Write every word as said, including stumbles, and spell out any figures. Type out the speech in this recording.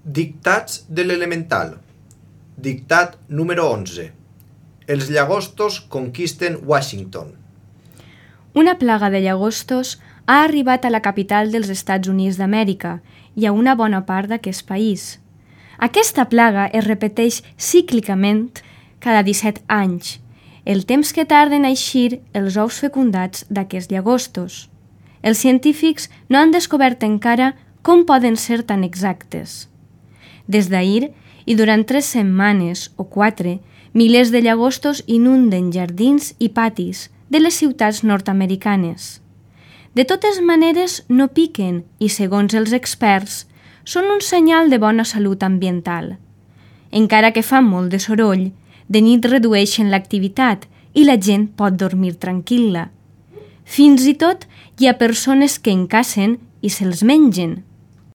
Dictats de l'elemental. Dictat número onze. Els llagostos conquisten Washington. Una plaga de llagostos ha arribat a la capital dels Estats Units d'Amèrica i a una bona part d'aquest país. Aquesta plaga es repeteix cíclicament cada disset anys, el temps que tarden a eixir els ous fecundats d'aquests llagostos. Els científics no han descobert encara com poden ser tan exactes. Des d'ahir, i durant tres setmanes o quatre, milers de llagostos inunden jardins i patis de les ciutats nord-americanes. De totes maneres, no piquen i, segons els experts, són un senyal de bona salut ambiental. Encara que fan molt de soroll, de nit redueixen l'activitat i la gent pot dormir tranquil·la. Fins i tot hi ha persones que en cacen i se'ls mengen.